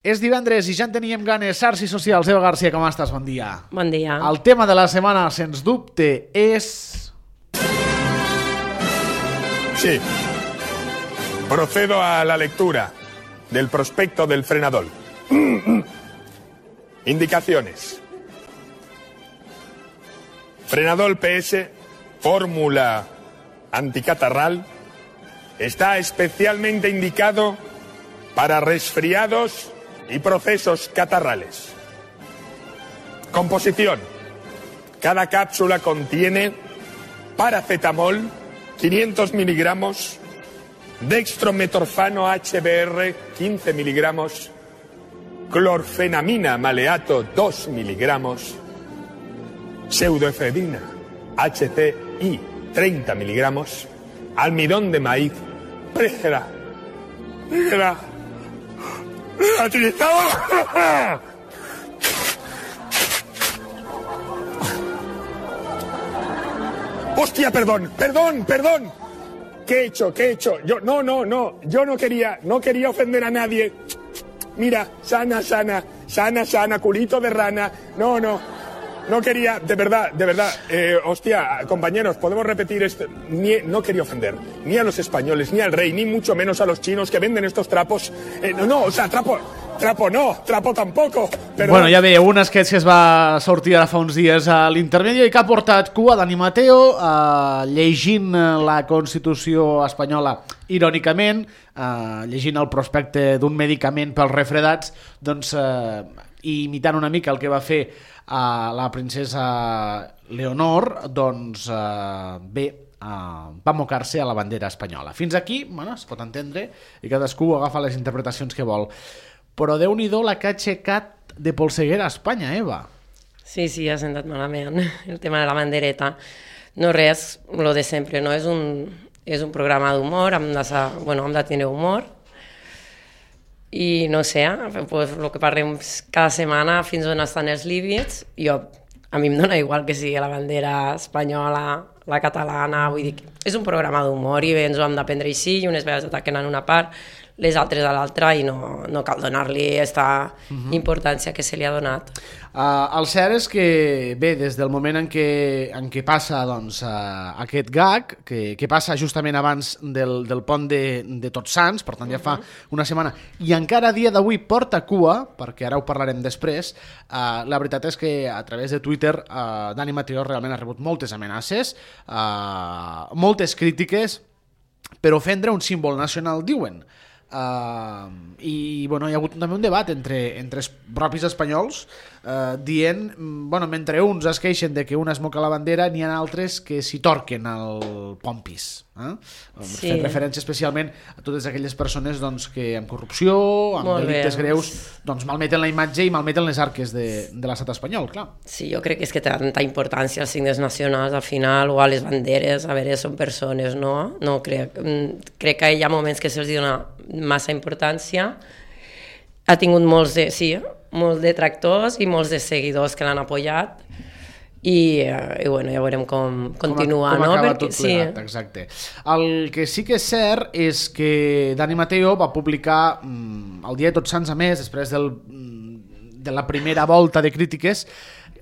És divendres i ja en teníem ganes. Xarxes socials, Eva García, com estàs? Bon dia. Bon dia. El tema de la setmana, sens dubte, és... Sí. Procedo a la lectura del prospecto del Frenadol. Indicaciones. Frenadol PS, fórmula anticatarral, está especialmente indicado para resfriados y procesos catarrales. Composición. Cada cápsula contiene paracetamol, 500 miligramos, dextrometorfano HBr, 15 miligramos, clorfenamina maleato, 2 miligramos, pseudoefedrina HCI, 30 miligramos, almidón de maíz, ¡Hostia, perdón! ¿Qué he hecho? Yo no quería ofender a nadie. Mira, sana, culito de rana. No quería, de verdad. Hostia, compañeros, podemos repetir esto. No quería ofender ni a los españoles, ni al rey, ni mucho menos a los chinos que venden estos trapos. Trapo tampoco. Perdón. Bueno, ja veieu, un sketch que es va sortir ara fa uns dies a l'Intermedio i que ha portat cua Dani Mateo llegint la Constitució espanyola irònicament, llegint el prospecte d'un medicament pels refredats, doncs imitant una mica el que va fer la princesa Leonor, doncs bé, va mocar-se a la bandera espanyola. Fins aquí, bueno, es pot entendre i cadascú agafa les interpretacions que vol. Però Déu-n'hi-do la que ha aixecat de polseguera a Espanya, Eva. Sí, ha sentat malament el tema de la bandereta. No res, lo de sempre, no? És un programa d'humor, hem de tenir humor. I no sé, pues, el que parlem cada setmana fins on estan els límits. A mi em dona igual que sigui la bandera espanyola, la catalana, vull dir, és un programa d'humor i bé, ens ho hem d'aprendre així i unes vegades ataquen en una part, les altres a l'altra i no cal donar-li aquesta importància que se li ha donat. El cert és que, bé, des del moment en què passa doncs, aquest gag, que passa justament abans del pont de Tots Sants, per tant ja fa una setmana, i encara a dia d'avui porta cua, perquè ara ho parlarem després, la veritat és que a través de Twitter Dani Mateo realment ha rebut moltes amenaces, moltes crítiques per ofendre un símbol nacional, diuen. I bueno, hi ha hagut també un debat entre els propis espanyols dient, bueno, mentre uns es queixen de que un es moca la bandera, n'hi ha altres que s'hi torquen al pompis, fent referència especialment a totes aquelles persones doncs, que amb corrupció, amb delictes greus, doncs malmeten la imatge i malmeten les arques de l'estat espanyol, clar. Sí, jo crec que és que té tanta importància als signes nacionals al final, o a les banderes, a veure, són persones, no? No crec que hi ha moments que se'ls dona massa importància. Ha tingut molts detractors i molts de seguidors que l'han apoyat i bueno, ja veurem com continua. Com acaba tot plegat, exacte. El que sí que és cert és que Dani Mateo va publicar el dia de Tots Sants, a més, després de la primera volta de crítiques,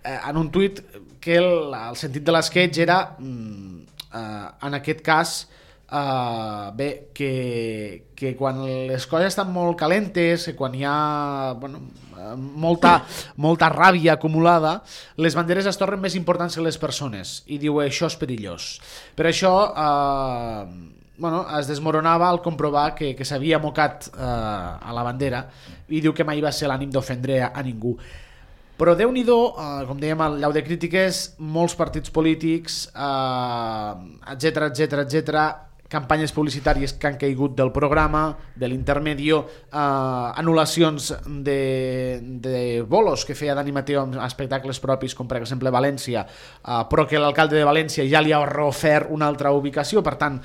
en un tuit que el sentit de l'esquetx era, en aquest cas, bé, que quan les coses estan molt calentes, que quan hi ha molta ràbia acumulada, les banderes es tornen més importants que les persones, i diu això és perillós. Per això es desmoronava al comprovar que s'havia mocat a la bandera, i diu que mai va ser l'ànim d'ofendre a ningú. Però Déu-n'hi-do, com dèiem, al llau de crítiques, molts partits polítics, etcètera, campanyes publicitàries que han caigut del programa, de l'Intermedio, anul·lacions de bolos que feia Dani Mateo en espectacles propis, com per exemple València, però que l'alcalde de València ja li ha reofert una altra ubicació. Per tant,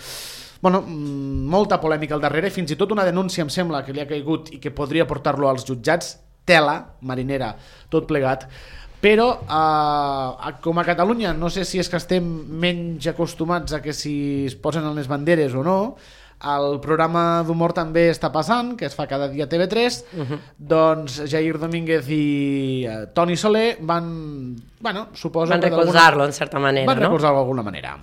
molta polèmica al darrere, fins i tot una denúncia em sembla que li ha caigut i que podria portar-lo als jutjats, tela marinera, tot plegat. Però com a Catalunya, no sé si és que estem menys acostumats a que si es posen en les banderes o no, el programa d'humor també està passant, que es fa cada dia a TV3, doncs Jair Domínguez i Toni Soler van recolzar-lo, en certa manera, van recolzar-lo d'alguna manera.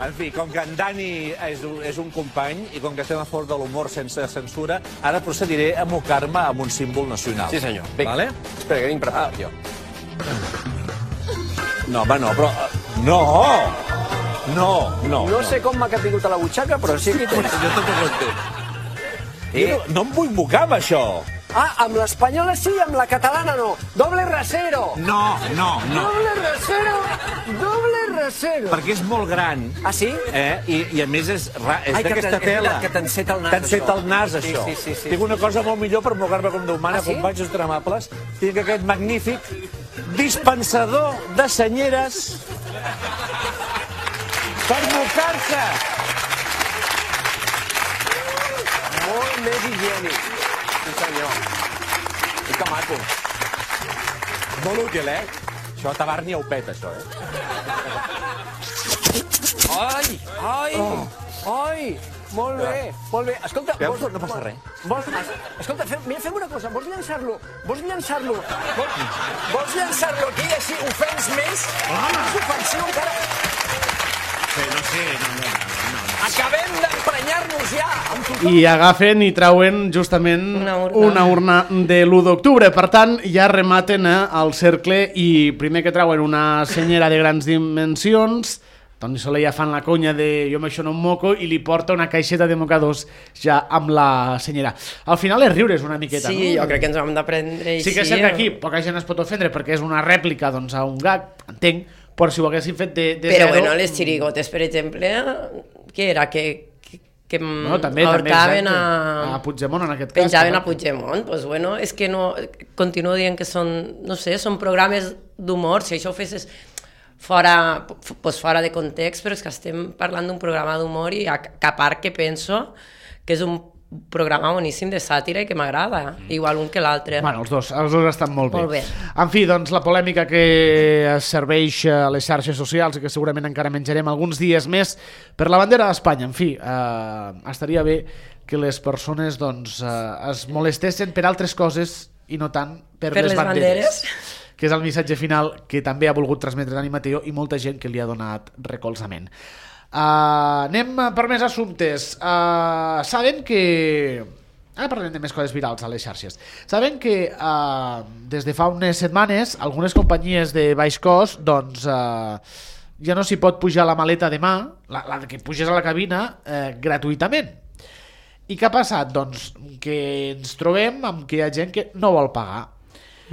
En fi, com que en Dani és un company i com que estem a favor de l'humor sense censura, ara procediré a mocar-me amb un símbol nacional. Sí, senyor. Vale? Espera, que vinc preparat, jo. No, home, no, però... No. No sé com m'ha caigut a la butxaca, però sí que hi tens. Jo tot ho entenc. No em vull mocar amb això. Ah, amb l'espanyola sí, amb la catalana no. Doble rasero. No. Doble rasero. Perquè és molt gran. Ah, sí? I a més és d'aquesta tela. Que t'enceta el nas, T'enceta el nas, això. Sí. Tinc una cosa molt millor per mocar-me com Déu mana, companys ultramables. Tinc aquest magnífic dispensador de senyeres per mocar-se. Molt més higiènic. Sí, senyor. I que maco. Molt útil, Això a Tabarnia ho peta, això, Ai! Molt bé. Escolta, veus? No passa res. Escolta, fem una cosa. Vols llançar-lo? Vols llançar-lo aquí, així ofens més? És ofensiu encara. No sé. Acabem d'emprenyar-nos ja amb tothom. I agafen i trauen justament una urna de l'1 d'octubre. Per tant, ja rematen el cercle i primer que trauen una senyera de grans dimensions, Toni Soler ja fan la conya de jo amb això no em moco i li porta una caixeta de mocadors ja amb la senyera. Al final és riure's una miqueta, no? Sí, jo crec que ens ho hem d'aprendre així. Sí que és cert que aquí poca gent es pot ofendre perquè és una rèplica doncs, a un gag, entenc, però si ho haguessin fet de però zero... bueno, les xirigotes, per exemple, què era? Que també ahorcaven a Puigdemont en aquest cas. Penjaven a Puigdemont, doncs bueno, és que no... Continuo dient que són, no sé, són programes d'humor, si això ho fessis fora de context, però és que estem parlant d'un programa d'humor i a part que penso que és un programa boníssim de sàtira i que m'agrada, igual un que l'altre. Bueno, els dos estan molt bé. Molt bé. En fi, doncs la polèmica que es serveix a les xarxes socials i que segurament encara menjarem alguns dies més per la bandera d'Espanya. En fi, estaria bé que les persones doncs, es molestessin per altres coses i no tant per les banderes. Que és el missatge final que també ha volgut transmetre Dani Mateo i molta gent que li ha donat recolzament. Anem per més assumptes. Saben que... Ara parlem de més coses virals a les xarxes. Saben que des de fa unes setmanes algunes companyies de baix cost doncs, ja no s'hi pot pujar la maleta de mà, la que puges a la cabina, gratuïtament. I què ha passat? Doncs que ens trobem amb que hi ha gent que no vol pagar.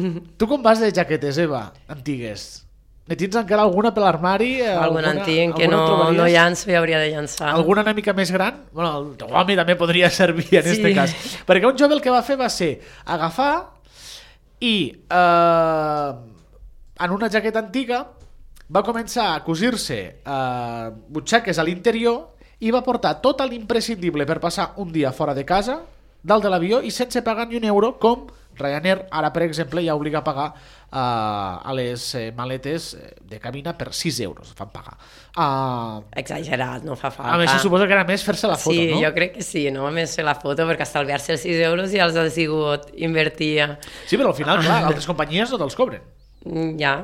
Tu com vas de jaquetes, Eva, antigues? Ne tens encara alguna per l'armari? Alguna antiga que no llanço i hauria de llançar. Alguna una mica més gran? Bueno, el teu home també podria servir en aquest cas. Perquè un jove el que va fer va ser agafar i en una jaqueta antiga va començar a cosir-se butxaques a l'interior i va portar tot l'imprescindible per passar un dia fora de casa, dalt de l'avió i sense pagar ni un euro, com Ryanair ara, per exemple, ja obliga a pagar a les maletes de cabina per 6 euros fan pagar. Exagerat, no fa falta. A més, suposo que era més fer-se la foto, sí, no? Sí, jo crec que sí, no més fer la foto perquè estalviar-se els 6 euros ja els ha sigut invertir. Sí, però al final, clar, altres companyies no te'ls cobren. Ja,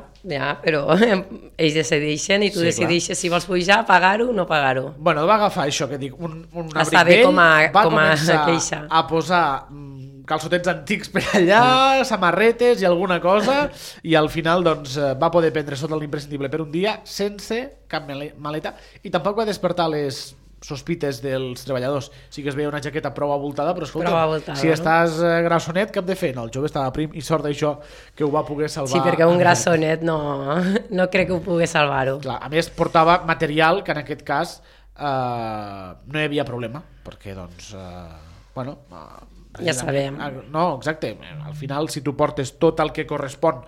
però ells decideixen i tu decideixes si vols pujar, pagar-ho o no pagar-ho. Bueno, va agafar això que dic, un abric vell, va començar a posar calçotets antics per allà, samarretes i alguna cosa, i al final doncs, va poder prendre sota l'imprescindible per un dia sense cap maleta i tampoc va despertar les sospites dels treballadors. Sí que es veia una jaqueta prou avoltada, però escolta, si estàs grassonet, què hem de fer? No, el jove estava prim i sort d'això que ho va poder salvar. Sí, perquè un grassonet no crec que ho pogués salvar-ho. Clar, a més portava material que en aquest cas no hi havia problema, perquè doncs, bueno... Ja sabem. No, exacte. Al final, si tu portes tot el que correspon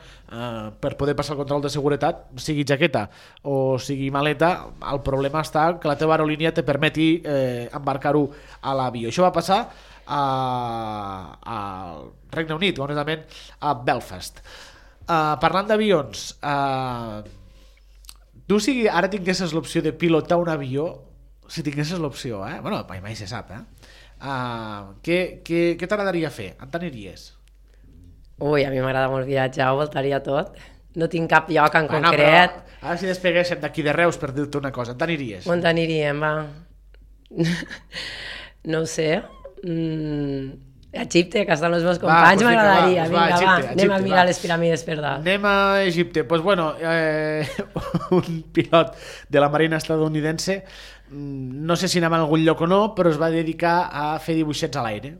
per poder passar el control de seguretat, sigui jaqueta o sigui maleta, el problema està que la teva aerolínia te permeti embarcar-ho a l'avió. Això va passar al Regne Unit, concretament a Belfast. Parlant d'avions, tu si ara tinguessis l'opció de pilotar un avió, si tinguessis l'opció, bueno, mai se sap, què t'agradaria fer? On t'aniries? Ui, a mi m'agrada molt viatjar, ho voltaria tot. No tinc cap lloc en concret. Però, ara si despeguéssim d'aquí de Reus per dir-te una cosa, on t'aniries? On t'aniríem, va? No ho sé. Egipte, que estan els meus companys, m'agradaria. Vinga, va, anem a mirar les piràmides per dalt. Anem a Egipte. Pues bueno, un pilot de la Marina estadounidense, no sé si anava a algun lloc o no, però es va dedicar a fer dibuixets a l'aire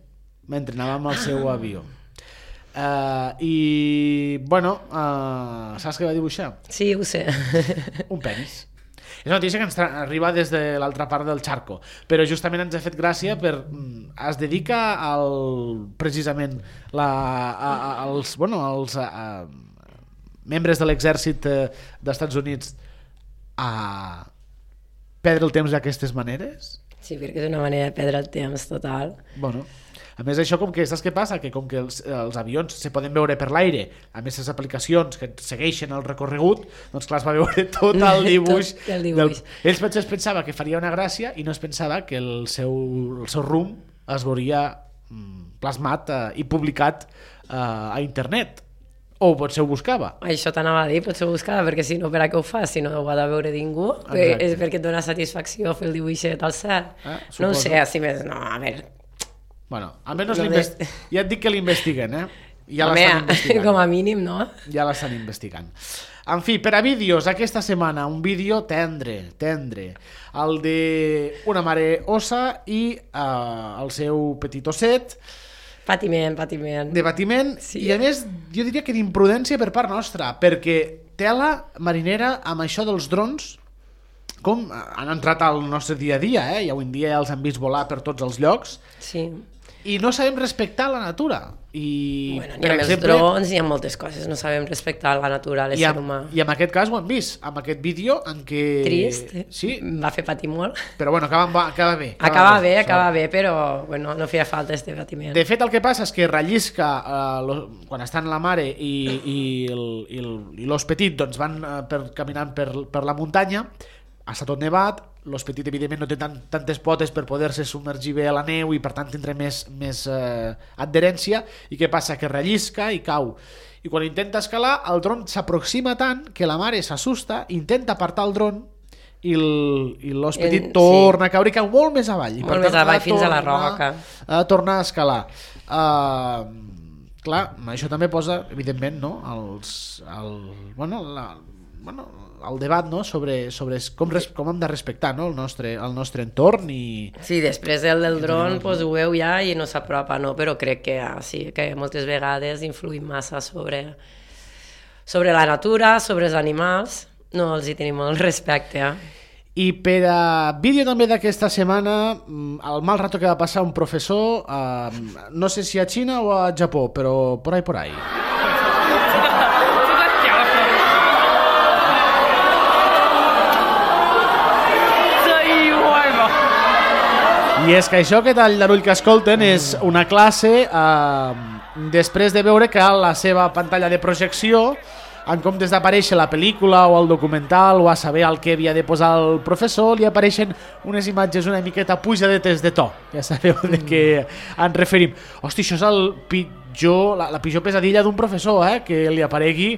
mentre anava amb el seu avió. I bueno, saps què va dibuixar? Sí, ho sé. Un penis. És una notícia que ens arriba des de l'altra part del xarco, però justament ens ha fet gràcia es dedica precisament als membres de l'exèrcit dels Estats Units a perdre el temps d'aquestes maneres. Sí, perquè és una manera de perdre el temps total. Bueno, a més això, com que saps què passa? Que com que els avions se poden veure per l'aire, a més les aplicacions que segueixen el recorregut, doncs clar, es va veure tot el dibuix. Tot el dibuix. Ells potser es pensava que faria una gràcia i no es pensava que el seu rumb es veuria plasmat i publicat a internet. O potser ho buscava. Això t'anava a dir, potser ho buscava, perquè si no, per a què ho fas? Si no ho ha de veure ningú, és perquè et dona satisfacció fer el dibuixet al cel. No ho sé, així més, no, a veure... Bueno, almenys ja et dic que l'investiguen, Ja home, l'estan investigant. com a mínim, no? Ja l'estan investigant. En fi, per a vídeos, aquesta setmana, un vídeo tendre, el de una mare ossa i el seu petit osset, Patiment. de patiment, sí. I a més jo diria que d'imprudència per part nostra, perquè tela marinera amb això dels drons, com han entrat al nostre dia a dia, i avui en dia ja els han vist volar per tots els llocs, sí. I no sabem respectar la natura. Bueno, ni amb els drons ni amb moltes coses no sabem respectar la natura, l'ésser humà. I en aquest cas ho hem vist, amb aquest vídeo en què... Trist, sí. Va fer patir molt. Però bueno, acaba bé. Acaba bé, però bueno, no feia falta este patiment. De fet, el que passa és que rellisca quan estan la mare i l'os petit doncs van caminant per la muntanya, està tot nevat, l'os petit evidentment no té tantes potes per poder-se submergir bé a la neu i per tant tindrà més adherència, i què passa? Que rellisca i cau, i quan intenta escalar el dron s'aproxima tant que la mare s'assusta, intenta apartar el dron i l'os petit torna a caure i cau molt més avall, i molt més avall fins a la roca, a tornar a escalar. Clar, això també posa evidentment, no, el debat, no, sobre com hem de respectar, no, el nostre entorn i... Sí, després del dron pues, ho veu ja i no s'apropa, no? Però crec que sí, que moltes vegades influïm massa sobre la natura, sobre els animals, no els hi tenim molt respecte. I per a vídeo també d'aquesta setmana, el mal rato que va passar un professor, no sé si a Xina o a Japó, però por ahí. I és que això que tal Darull que escolten és una classe després de veure que a la seva pantalla de projecció, en comptes d'aparèixer la pel·lícula o el documental o a saber el que havia de posar el professor, li apareixen unes imatges una miqueta pujadetes de to. Ja sabeu de què ens referim. Hosti, això és la pitjor pesadilla d'un professor, que li aparegui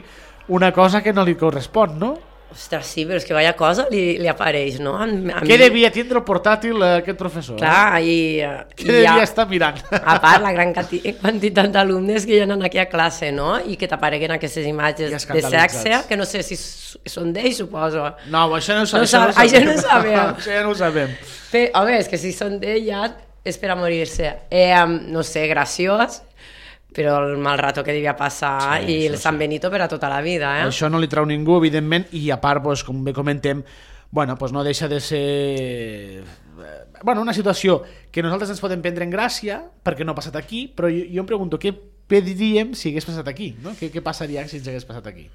una cosa que no li correspon, no? Ostres, sí, però és que vaya cosa li apareix, no? Què devia tindre el portàtil aquest professor? Clar, què devia estar mirant? A part, la gran quantitat d'alumnes que hi ha aquí a classe, no? I que t'apareguen aquestes imatges de sexe, que no sé si són d'ells, suposo. No, això no ho sabem. Això no ho sabem. Això ja no ho sabem. Home, és que si són d'ells ja és per a morir-se. No sé, graciós, però el mal rato que devia passar i el San Benito per a tota la vida. Això no li trau ningú, evidentment, i a part, com bé comentem, no deixa de ser una situació que nosaltres ens podem prendre en gràcia perquè no ha passat aquí, però jo em pregunto què diríem si hagués passat aquí, no? Què passaria si ens hagués passat aquí?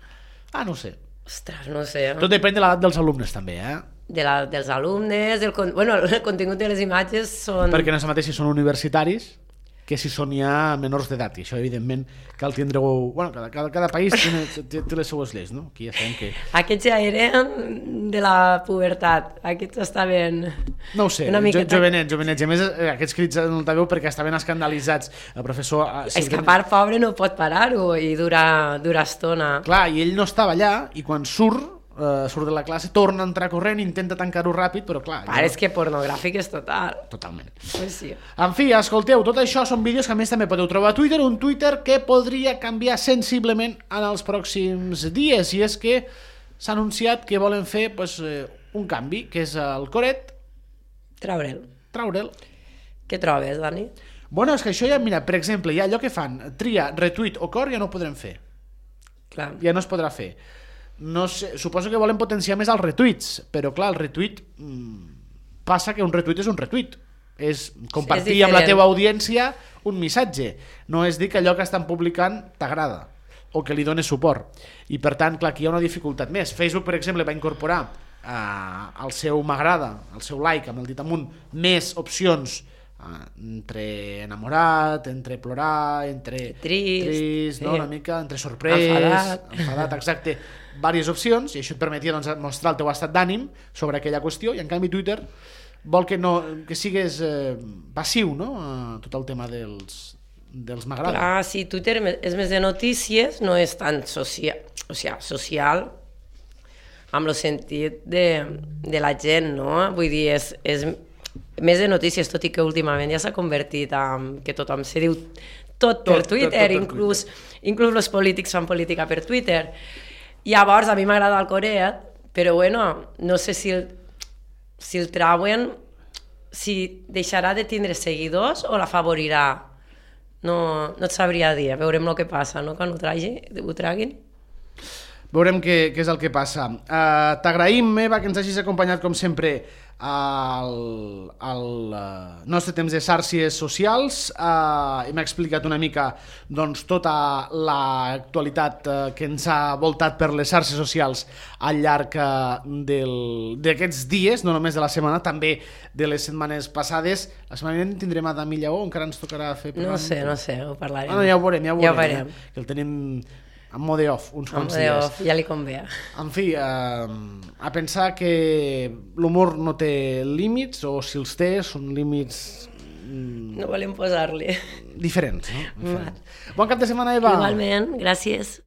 No ho sé. Ostres, no ho sé. Tot depèn de l'edat dels alumnes també, dels alumnes, el contingut de les imatges són... Perquè no és el mateix si són universitaris que si són ja menors d'edat, i això evidentment cal tindre-ho... Bueno, cada país té les seues lleis, no? Aquí ja sabem que... Aquests ja eren de la pubertat, aquests estaven... No ho sé, jovenets. A més, aquests crits no el veu perquè estaven escandalitzats. El professor... És que a part, pobre, no pot parar-ho i durar estona. Clar, i ell no estava allà, i quan surt de la classe, torna a entrar corrent, intenta tancar-ho ràpid, però clar... És que pornogràfic és total. Totalment. Pues sí. En fi, escolteu, tot això són vídeos que a més també podeu trobar a Twitter, un Twitter que podria canviar sensiblement en els pròxims dies, i és que s'ha anunciat que volen fer un canvi, que és el coret... Traure'l. Què trobes, Dani? Bueno, és que això ja, mira, per exemple, hi ha allò que fan, tria, retweet o cor, ja no ho podrem fer. Clar. Ja no es podrà fer. No sé, suposo que volen potenciar més els retuits, però clar, el retuit passa que un retuit és un retuit, és compartir amb la teva audiència un missatge, no és dir que allò que estan publicant t'agrada o que li dones suport, i per tant, clar, aquí hi ha una dificultat més. Facebook, per exemple, va incorporar al seu m'agrada, al seu like, amb el dit amunt, més opcions entre enamorat, entre plorar, entre trist, no? Una mica, entre sorprès, enfadat, exacte, diverses opcions, i això et permetia mostrar el teu estat d'ànim sobre aquella qüestió, i en canvi Twitter vol que sigues passiu, no? Tot el tema dels m'agrada. Clar, sí, Twitter és més de notícies, no és tan social, amb el sentit de la gent, no? Vull dir, és més de notícies, tot i que últimament ja s'ha convertit en que tothom se diu tot per Twitter, inclús els polítics fan política per Twitter. Llavors, a mi m'agrada el coret, però bueno, no sé si el trauen, si deixarà de tindre seguidors o l'afavorirà. No et sabria dir, veurem el que passa, no? Quan ho traguin. Veurem què és el que passa. T'agraïm, Eva, que ens hagis acompanyat, com sempre, al nostre temps de xarxes socials. Hem explicat una mica tota l'actualitat que ens ha voltat per les xarxes socials al llarg d'aquests dies, no només de la setmana, també de les setmanes passades. La setmana vinent tindrem a Dami Lleó, encara ens tocarà fer... No sé, ho parlarem. Ja ho veurem. Que el tenim en mode off, uns quants dies. En mode off, ja li convé. En fi, a pensar que l'humor no té límits, o si els té, són límits... No volem posar-li. Diferents, no? Bon cap de setmana, Eva. Igualment, gràcies.